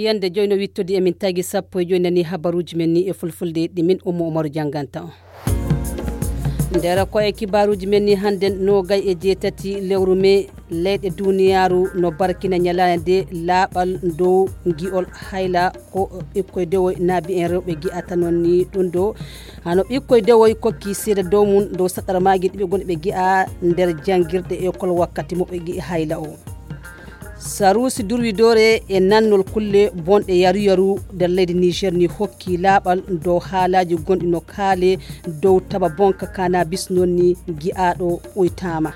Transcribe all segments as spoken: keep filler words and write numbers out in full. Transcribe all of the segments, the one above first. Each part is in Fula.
Yande joy no wittodi emin tagi sappo e joy nani habaruuji men ni e fulfulde ɗi min Ummu Umaru jannganta on. Nder ko e kibaaruuji men ni hannden noogay e jeetati lewru mee, leyɗe duniyaaru no barkina ñalaande nde laaɓal dow ngi'ol hayla ko ɓikkoy dewoy naabi en rewɓe gi'ata noon ni ɗum ɗo. Hano ɓikkoy dewoy kokki seeda dow mum dow saɗarmaaji ɗi ɓe ngonɗi ɓe gi'a nder janngirɗe ekol wakkati mo ɓe gi'i hayla o. Saruusi durwidoore e nannol kulle bonɗe yaru-yaru nder leydi Niger ni hokki laaɓal dow haalaaji gonɗi no kaale dow taba bonka kanabis noon ni gi'aaɗo uytaama.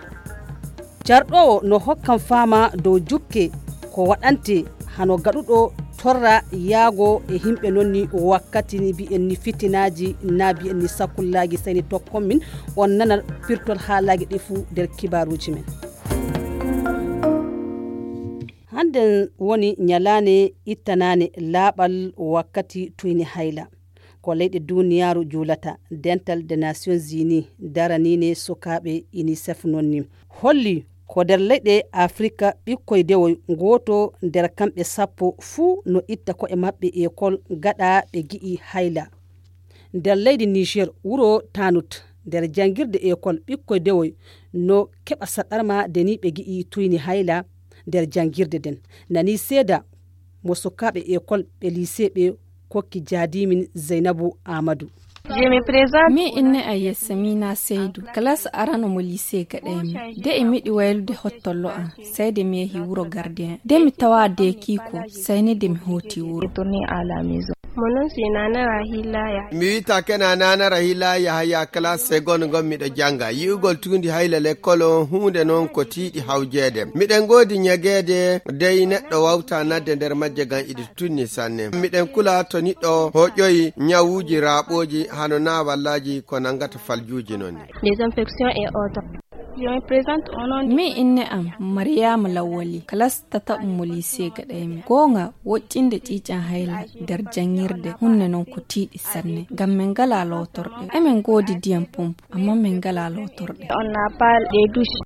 Carɗoowo no hokkan faama dow jukke ko waɗante hano gaɗuɗo torra yaago e himɓe noon ni wakkati ni mbi'en ni fitinaaji na mbi'en ni sakullaaji seyni tokkon min on nana pirtol haalaaji ɗi fuu nder kibaaruuji men. Hannden woni ñalaane ittanaane laaɓal wakkati tuyni hayla. Ko leyɗe duniyaaru juulata, Dental de Nations Unies daraniine sukaaɓe UNICEF noon ni. Holli ko nder leyɗe Afrika ɓikkoy dewoy gooto nder kamɓe sappo fuu no itta ko'e maɓɓe ekol gaɗa ɓe gi'i hayla. Nder leydi Niger, wuro Tanut, nder janngirde ekol ɓikkoy dewoy no keɓa saɗarma de ni ɓe gi'i tuyni hayla nder janngirde den. Nani seeda mo sukaaɓe ekol ɓe lycée ɓe kokki jaadimin Zeynabu Amadu. Min inne a yessa mina seydu kalas arano mo lycée gaɗaymi de e miɗi waylude hottollo an. Sayde mi yehi wuro gardien de mi tawa de kiiko sayni de mi hooti wuro. Mo non si nana rahila ya. Mi wita kena nana rahila ya haya classe seconde gon miɗo janga yi'ugol tundi hayla lekkol on hunde non ko tiiɗi hawjeede. Miɗen godi ñageede dey neɗɗo wawta nadde nder majje gan iɗi tunni sanne. Miɗen kula to niɗɗo hoƴoyi ñawuji raaɓooji hano nawallaji ko nangata faljuuji non ni. Des infections et autres. Min inne am Mariama Lawwali kalas tataɓum mo lycée gaɗaymi. Goonga woƴƴinde ƴiiƴan hayla nder janngirde hunne non ko tiiɗi sanne ngam min ngala lootorɗe. Emin ngoodi ndiyam pompe amma min ngala lootorɗe. On n'a pas les douches.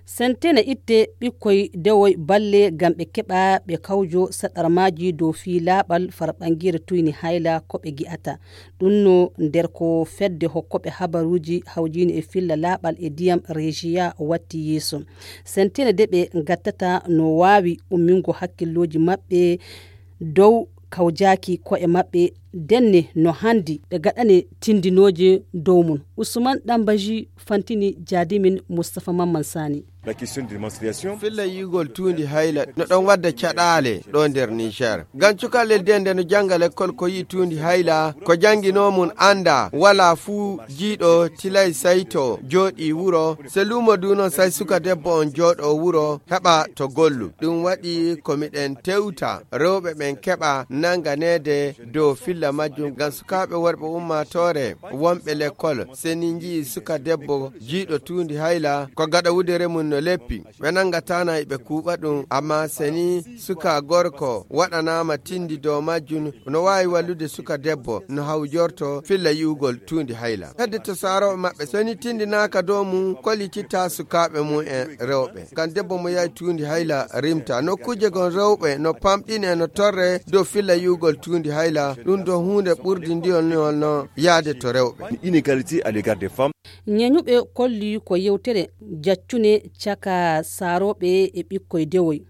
Sentene itte ɓikkoy dewoy balle ngam ɓe keɓa ɓe kawjo saɗarmaaji dow fii laaɓal farɓanngere tuyni hayla ko ɓe gi'ata. Ɗum no nder ko fedde hokkoɓe habaruuji hawjiini e filla laaɓal e ndiyam Rejiya watti yeeso. Sentene de ɓe ngattata no waawi ummingo hakkillooji maɓɓe dow kawjaaki ko'e maɓɓe denne no hanndi ɓe gaɗane tindinooje dow mum. Usman Ɗambaji fantini jaadimin Mustapha Mamman Sani. Filla yi'ugol tuundi hayla no ɗon wadda caɗaale ɗo nder Niger. Ngam cukalel de nde no jannga lekkol ko yi'i tuundi hayla ko jannginoo mum annda walaa fuu jiiɗo tilay sayto jooɗii wuro se luumo du non say suka debbo on jooɗoo wuro heɓa to gollu. Ɗum waɗi ko miɗen tewta rewɓe ɓen keɓa nannganeede dow filla majjum ngam sukaaɓe worɓe ummaatoore wonɓe lekkol se ni nji'i suka debbo jiiɗo tuundi hayla ko gaɗa wudere mum no leppi. Ɓe nanngatana e ɓe kuuɓa ɗum amma se ni suka gorko waɗanaama tindi dow majjum no waawi wallude suka debbo no hawjorto filla yi'ugol tuundi hayla. Hedde to saarooɓe maɓɓe so ni tindinaaka dow mum kollititta sukaaɓe mum en rewɓe. Ngam debbo mo yahi tuundi hayla rimta nokkuuje gon rewɓe no pamɗine no torre dow filla yi'ugol tuundi hayla ɗum ɗo huunde ɓurde ndiyol no yaade to rewɓe. Inégalité à l'égard des femmes. Ñeñuɓe kolli ko yewtere jaccune caka saarooɓe e ɓikkoy dewoy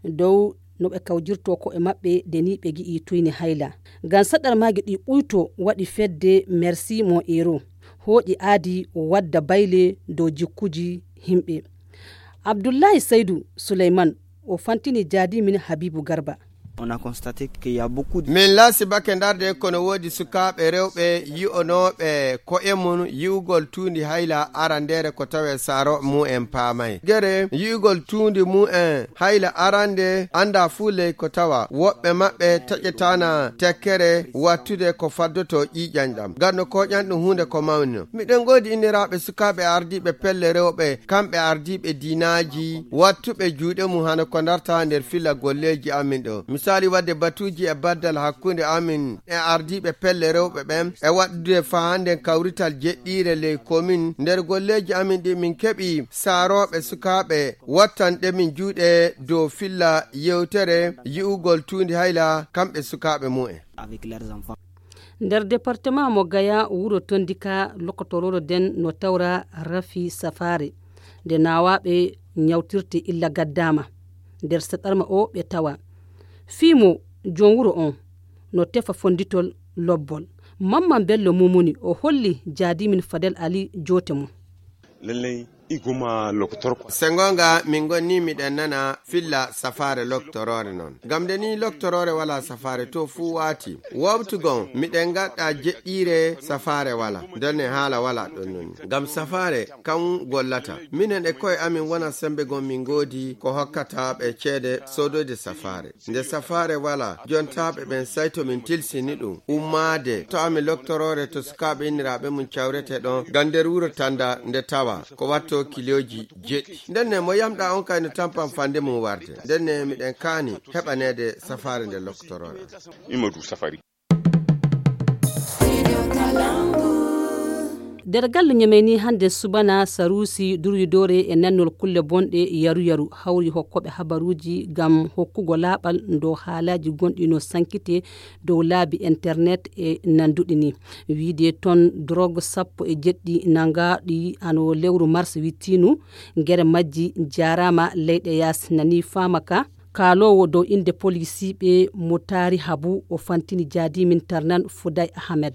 dow no ɓe kawjirto ko'e maɓɓe de ni ɓe gi'i tuyni hayla. Ngam saɗarmaaji ɗi ɓuyto waɗi fedde Merci Mon Héros hooƴi aadi wadda bayle dow jikkuji himɓe. Abdullahi Saydu Suleyman o fantini jaadimin Habibu Garba. Min laasi bake ndarde kono woodi sukaaɓe rewɓe yi'onooɓe ko'e mum yi'ugol tuundi hayla arandeere ko tawe saaro mu'en paamay gere yi'ugol tuundi mu'en hayla arande annda fuu ley ko tawa woɓɓe maɓɓe taƴetaana tekkere wattude ko faddoto ƴiiƴan ɗam nganno koƴan ɗum huunde ko mawni no miɗen ngoodi inniraaɓe sukaaɓe ardiiɓe pelle rewɓe kamɓe ardiiɓe diinaaji wattuɓe juuɗe mum hano ko ndarta nder filla golleeji amin ɗo. Waali waɗde batuuji e baddal hakkunde amin e ardiiɓe pelle rewɓe ɓen e waɗdude faa hannden kawrital jeɗɗiire ley komin. Nder golleeji amin ɗi min keɓi saarooɓe sukaaɓe wattan ɗe min juuɗe dow filla yewtere yi'ugol tuundi hayla kamɓe sukaaɓe mumen. Nder departement mo Gaya, wuro Tondika, lokotoroore nden no tawra rafi safaare. Nde naawaaɓe ñawtirte illa gaddaama. Nder saɗarma o ɓe tawa. Fii mo joom wuro on no tefa fonnditol lobbol. Mamman Bello Mumuni o holli jaadimin Fadel Ali joote mum. Lallay, iguma lokotor. Se ngoonga, min ngonni miɗen nana filla safaare loktoroore non. Ngam nde ni loktoroore walaa safaare to fuu waati. Wowtugon, miɗen ngaɗa jeɗɗiire safaare walaa. Ndenne haala walaa ɗon non. Ngam safaare kan gollata. Minen e ko'e amin wona sembe gon min ngoodi ko hokkata ɓe ceede soodoyde safaare. Nde safaare walaa, jontaaɓe ɓen sayto min tilsini ɗum. Ummaade to amin loktoroore to sukaaɓe inniraaɓe mum cawrete ɗon. Ngam nder wuro Tanda nde tawa ko watto kilooji jeɗɗi. Ndenne mo yamɗa on kay no tampan fande mum warde. Ndenne miɗen kaani heɓaneede safaare nde loktoroore. Imadu safari. Nder gallu ñameyni hannde subana, Saruusi durwidoore e nannol kulle bonɗe yaru-yaru hawri hokkooɓe habaruuji ngam hokkugo laaɓal ndo haalaaji gonɗi no sankite dow laabi internet e nanduɗi ni. Wiide ton, drog sappo e jeɗɗi nangaaɗi ano lewru mars wittinu, gere majji jaaraama leyɗe yaasi nani faama ka. Kaaloowo dow innde polisiiɓe mo taari habu o fantini jaadimin Tarnan Fuday Ahmed.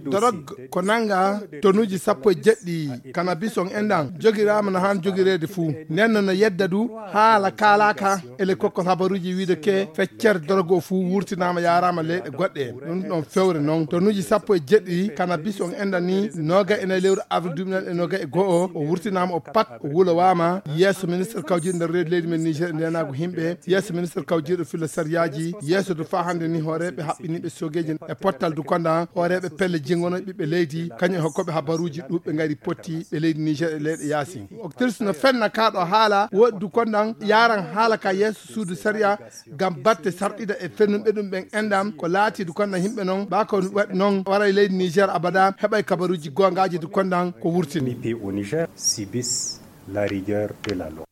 Dorog ko nannga tonuuji sappo e jeɗɗi kanabis on enɗan jogiraama no haan jogireede fuu. Nden no no yedda du haala kaalaaka ele kokkol habaruuji wiide ke feccere dorog o fuu wurtinaama yaaraama leyɗe goɗɗe. Ɗum ɗon fewre noon tonuuji sappo e jeɗɗi kanabis on enɗan ni nooga e nayi lewru avril duuɓi nayi e nooga e go'o o wurtinaama o pat o wulowaama yeeso ministre kawjiiɗo nder reedu leydi men Niger e ndeenaagu himɓe, yeeso ministre kawjiiɗo filla sariyaaji, yeeso du faa hannde ni hooreeɓe haɓɓiniiɓe soogeeji e pottal du konda hooreeɓe pelle jingono ɓiɓɓe leydi, kañum e hokkooɓe habaruuji ɗuuɓɓe ngari potti ɓe leydi Niger e leyɗe yaasi. Octrice no fenna kaa ɗo haala woɗi du kondan yaaran haala ka yeeso suudu sariya ngam batte sarɗida e fennunɓe ɗum ɓen enɗam ko laati du kondan yimɓe non baa ko waɗi non waray leydi Niger abada heɓay kabaruuji goongaaji du kondan ko wurtini. Au Niger subissent la rigueur de la loi.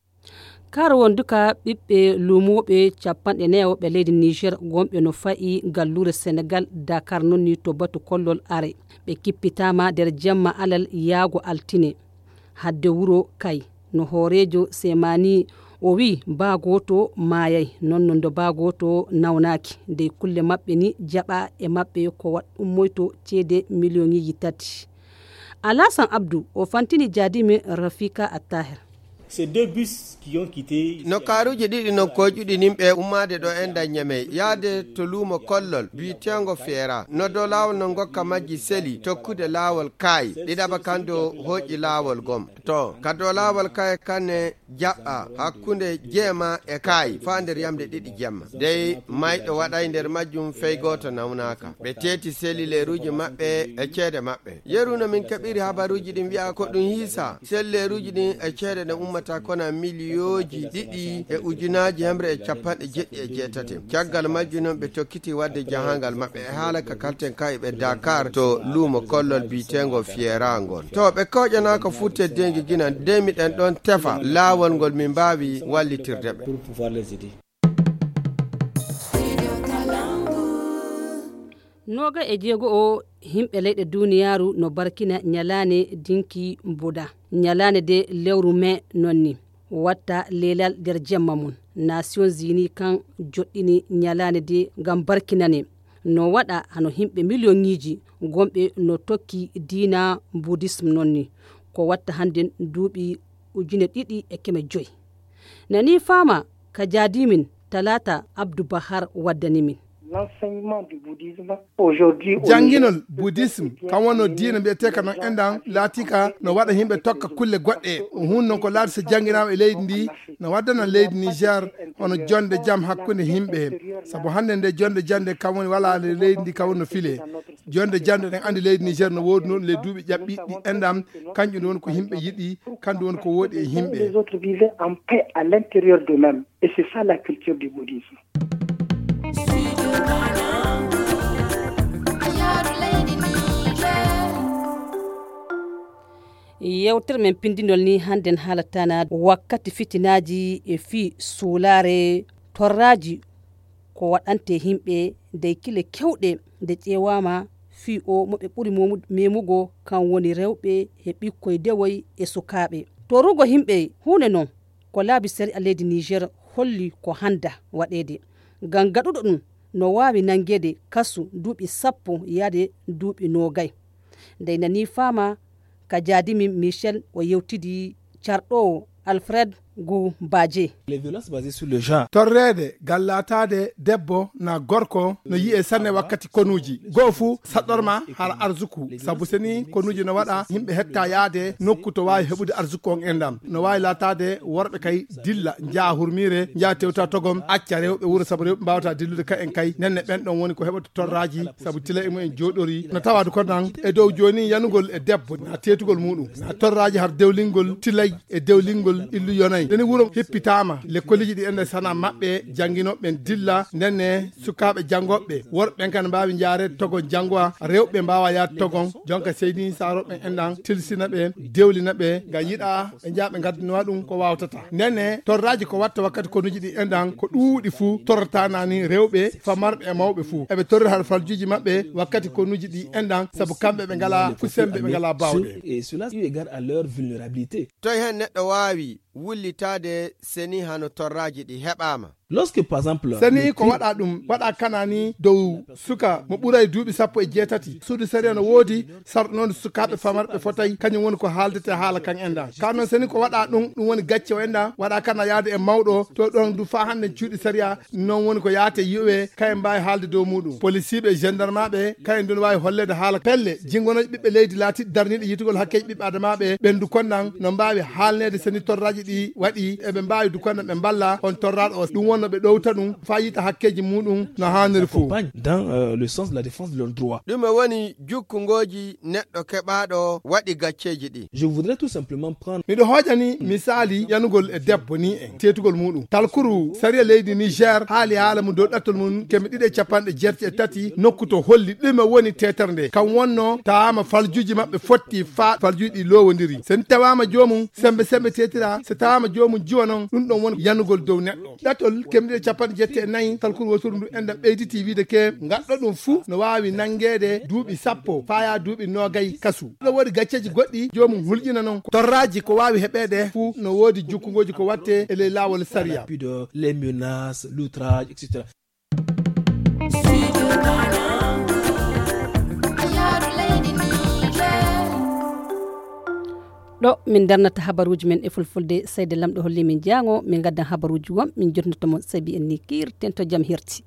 Kar wonduka ɓiɓɓe luumooɓe capanɗe nayo ɓe leydi Niger gonɓe no fa'i galluure Senegal Dakar non ni to batu kollol are. Ɓe kippitaama nder jemma alal yaago altine. Hadde wuro kay no hooreejo Semani o wi'i baa gooto maayay, non no ndo baa gooto nawnaaki. Dey kulle maɓɓe ni jaɓa e maɓɓe ko waɗ ummoyto ceede miliyoŋiiji tati. Alasan Abdu o fantini jaadimin Rafika Attahir. Ces deux bus qui ont quitté. No kaaruuji ɗiɗi non koyɗuɗi nimɓe ummaade ɗo en daññamey yaade to luumo kollol biyeteengo Feera no dow laawol no ngokka majji seli tokkude laawol kaayi ɗiɗaɓa kan dow hooƴi laawol gom to ka dow laawol kaayi kanne jaɓɓa hakkunde jeema e kaayi faa nder yamde ɗiɗi jemma dey mayɗo waɗay nder majjum fey gooto nawnaaka. Ɓe teeti seli leeruuji maɓɓe e ceede maɓɓe. Yeru no min keɓiri habaruuji ɗin wi'a ko ɗum hiisa selleeruuji ɗin e ceede ɗe ummata kona miliyooji ɗiɗi e ujunaaji hemre e capanɗe jeɗɗi e jeetati. Caggal majjum non ɓe tokkiti waɗde jahangal maɓɓe e haala ka kalten ka e ɓe Dakar to luumo kollol biyeteengo Fiera ngol. To ɓe kooƴanaaka fuu teddeengi gina dey miɗen ɗon tefa laawol ngol min mbaawi wallitirde ɓe. Nooga e jeego o himɓe leyɗe duniyaaru no barkina ñalaane dinki buda. Ñalaane de lewru me non ni watta leelal nder jemma mum. Nations Unies kan joɗɗini ñalaane de ngam barkinane. No waɗa hano himɓe miliyoŋiiji gonɓe no tokki diina budism non ni. Ko watta hannden duuɓi ujune ɗiɗi e keme joy. Nani faama ka jaadimin Talaata Abdu Bahar waddani min. L'enseignement du bouddhisme aujourd'hui au Janginol Niger, budism kan wonno diina mbiyeteeka non enɗan laatika no waɗa yimɓe tokka kulle goɗɗe. O hun non ko laati so janginaama e leydi ndi no waddana leydi Niger hono jonde jam hakkunde yimɓe. Sabu hannde nde jonde jande kan woni wala e leydi ndi kan woni no file. Jonde jande ɗen andi leydi Niger no woodi noon le duuɓi ƴaɓɓiɗi enɗan kanƴum woni ko yimɓe yiɗi kanɗum woni ko woodi e yimɓe. Les autres vivaient en paix à l'intérieur d'eux-mêmes. Et c'est ça la culture du bouddhisme. Yewtere men pindinol ni hannden haalata na wakkati fitinaaji e fii suulaare torraaji ko waɗante yimɓe dey kile kewɗe nde ƴeewaama fii o mo ɓe ɓuri momu-, memugo kan woni rewɓe e ɓikkoy dewoy e sukaaɓe. Torrugo yimɓe huunde non ko laabi sariya leydi Niger holli ko hannda waɗeede. Ngam gaɗuɗo ɗum no waawi nanngeede kasu duuɓi sappo yaade duuɓi noogay. Ndey nanii faama ka jaadimin Michel o yewtidi carɗoowo Alfred Goubaje. Les violences basées sur le genre. Torreede, gallaataade debbo na gorko no yi'e sanne wakkati konuuji. Goo fuu saɗɗorma hala arzuku. Sabu seni konuuji no waɗa yimɓe hetta yaade nokku to waawi heɓude arzuku on enɗam. No waawi laataade worɓe kay dilla njaha hurmiire, njaha tewta togom, acca rewɓe wuro sabu rewɓe mbaawata dillude ka en kay. Nenne ɓen ɗon woni ko heɓata torraaji sabu tilay e mumen jooɗori. No tawaade ko nan e dow jooni yanugol e debbo na teetugol muuɗum. Na torraaji har dewlingol tilay e dewlingol illu yonay. Neni wuro hippitaama, lekkoliiji ɗi ende sana maɓɓe, jannginooɓe ɓen dilla, nenne sukaaɓe janngooɓe, worɓe ɓen kan mbaawi njaareede togon janngowa, rewɓe mbaawa yaade togon. Jonka seydi saarooɓe ɓen enɗan tilsina ɓe, dewlina ɓe, ngam yiɗa ɓe njaha ɓe ngaddanowa ɗum ko waawtata. Nenne torraaji ko watta wakkati konuuji ɗi enɗan ko ɗuuɗi fuu torrata nani rewɓe famarɓe e mawɓe fuu. Eɓe torri har faljuuji maɓɓe wakkati konuuji ɗi enɗan sabu kamɓe ɓe ngalaa fu sembe, ɓe ngalaa baawɗe. Et cela eu égard à leur vulnérabilité. Toy heen neɗɗo waawi wullitaade seni hano torraaji ɗi heɓaama? Lorsque, par exemple, seni ko waɗa ɗum, waɗa kanani dow suka mo ɓuray duuɓi sappo e jeetati. Suudu sariya no woodi sarɗunooɗo sukaaɓe famarɓe fotay, kañum woni ko haaldete haala kan enɗan. Ka noon seni ko waɗa ɗum, ɗum woni gacce o enɗan, waɗa kana yaade e mawɗo, to ɗon du faa hannde cuuɗi sariya, noon woni ko yaate yi'owe, kayen mbaawi haalde dow muuɗum. Polisiiɓe e gendarmaaɓe, kayen du no waawi holleede haala pelle, jinngonooje ɓiɓɓe leydi laatiiɗe darniiɗe yi'tugol hakkeeji ɓiɓɓe adamaaɓe, ɓen du konnan no mbaawi haalneede seni torraaji ɗi waɗi, eɓe mbaawi du konnan ɓe mballa on torraaɗo o. Ɗum wonno ɓe ɗowta ɗum, faa yiita hakkeeji muuɗum no haaniri fof. Accompagne dans, euh, le sens de la défense de leurs droits. Ɗume woni jukkungooji neɗɗo keɓaaɗo waɗi gacceeji ɗi? Je voudrais tout simplement prendre Miɗo hoojani misaali yanugol e debbo ni en teetugol muuɗum. Talkuru sariya leydi Niger haali haala mum dow ɗattol mum keme ɗiɗi e capanɗe jeetati e tati nokku to holli ɗume woni teetere nde. Kam wonno tawaama faljuuji maɓɓe fotti faa faljuuji ɗi loowondiri. So en tawaama joomum sembe sembe teetira, so tawaama joomum jiwa non, ɗum ɗon woni yanugol dow neɗɗo. Ɗattol keme ɗiɗi e capanɗe jeetati e nayi, talkuru woturu ndu enɗan ɓeyditi wiide ke, ngaɗɗo ɗum fuu no waawi nanngeede duuɓi sappo faa yaa duuɓi noogay kasu. Ɗo woodi gacceeji goɗɗi, joomum hulƴina non. Torraaji ko waawi heɓeede fuu no woodi jukkungooji ko watte e ley laawol sariya. Pudeur, les menaces, l'outrage, et cetera. Ɗo min darnata habaruuji men e fulfulde, Seyde Lamɗo holli min jaango, min ngaddan habaruuji won, min jotnoto mon, sabi en ni kiirten to jam herti.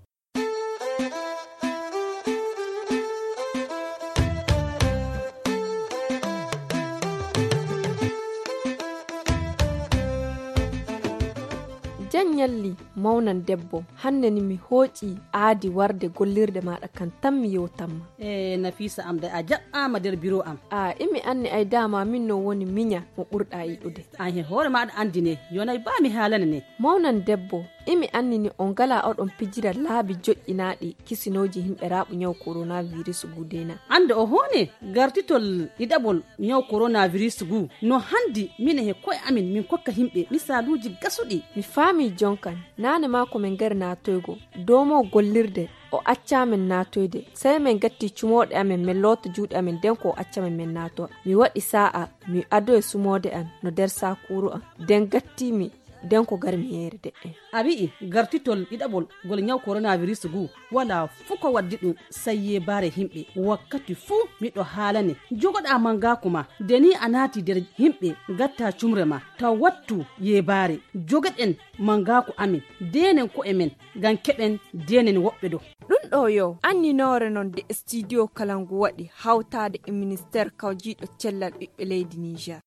Jan ñalli, mawnan debbo, hannde ni mi hooƴi aadi warde gollirde maaɗa kan tan mi yewtanma. E Nafisa am de a jaɓɓaama nder biro am. A imi anni ay dama min no woni miña mo ɓurɗa yiɗude. An he hoore maaɗa anndi ne, yonay baa mi haalane ne. Mawnan debbo, imi anni ni on ngala oɗon pijira laabi joƴƴinaaɗi kisinooji himɓe raaɓu ñaw coronavirus gudena. Annde o hoone gartitol ɗiɗaɓol ñaw coronavirus gu no hanndi mine he ko'e amin min kokka himɓe misaaluuji gasuɗi. Mi faami jonkan, naane maa ko min ngari naatoygo, doomo gollirde, o accaa min naatoyde. Sey min gatti cumooɗe amin, min loota juuɗe amin, nden ko o acca min min naatowa. Mi waɗi saa'a, mi adoyi sumoode an no nder saakuuru an. Nden gatti mi, nden ko gar mi yeere de'e. A wi'i gartitol ɗiɗaɓol ngol ñaw coronavirus gu, walaa fuu ko waddi ɗum, sey yeebaare himɓe. Wakkati fuu miɗo haalane, jogoɗaa mangaaku ma, nde ni a naati nder himɓe, ngatta cumre ma, taw wattu yeebaare. Jogoɗen mangaaku amin, deenen ko'e men, ngam keɓen deenen woɓɓe do. Ɗum ɗo yo anninoore non de studio Kalangu waɗi hawtaade e ministeer kawjiiɗo cellal ɓiɓɓe leydi Niger.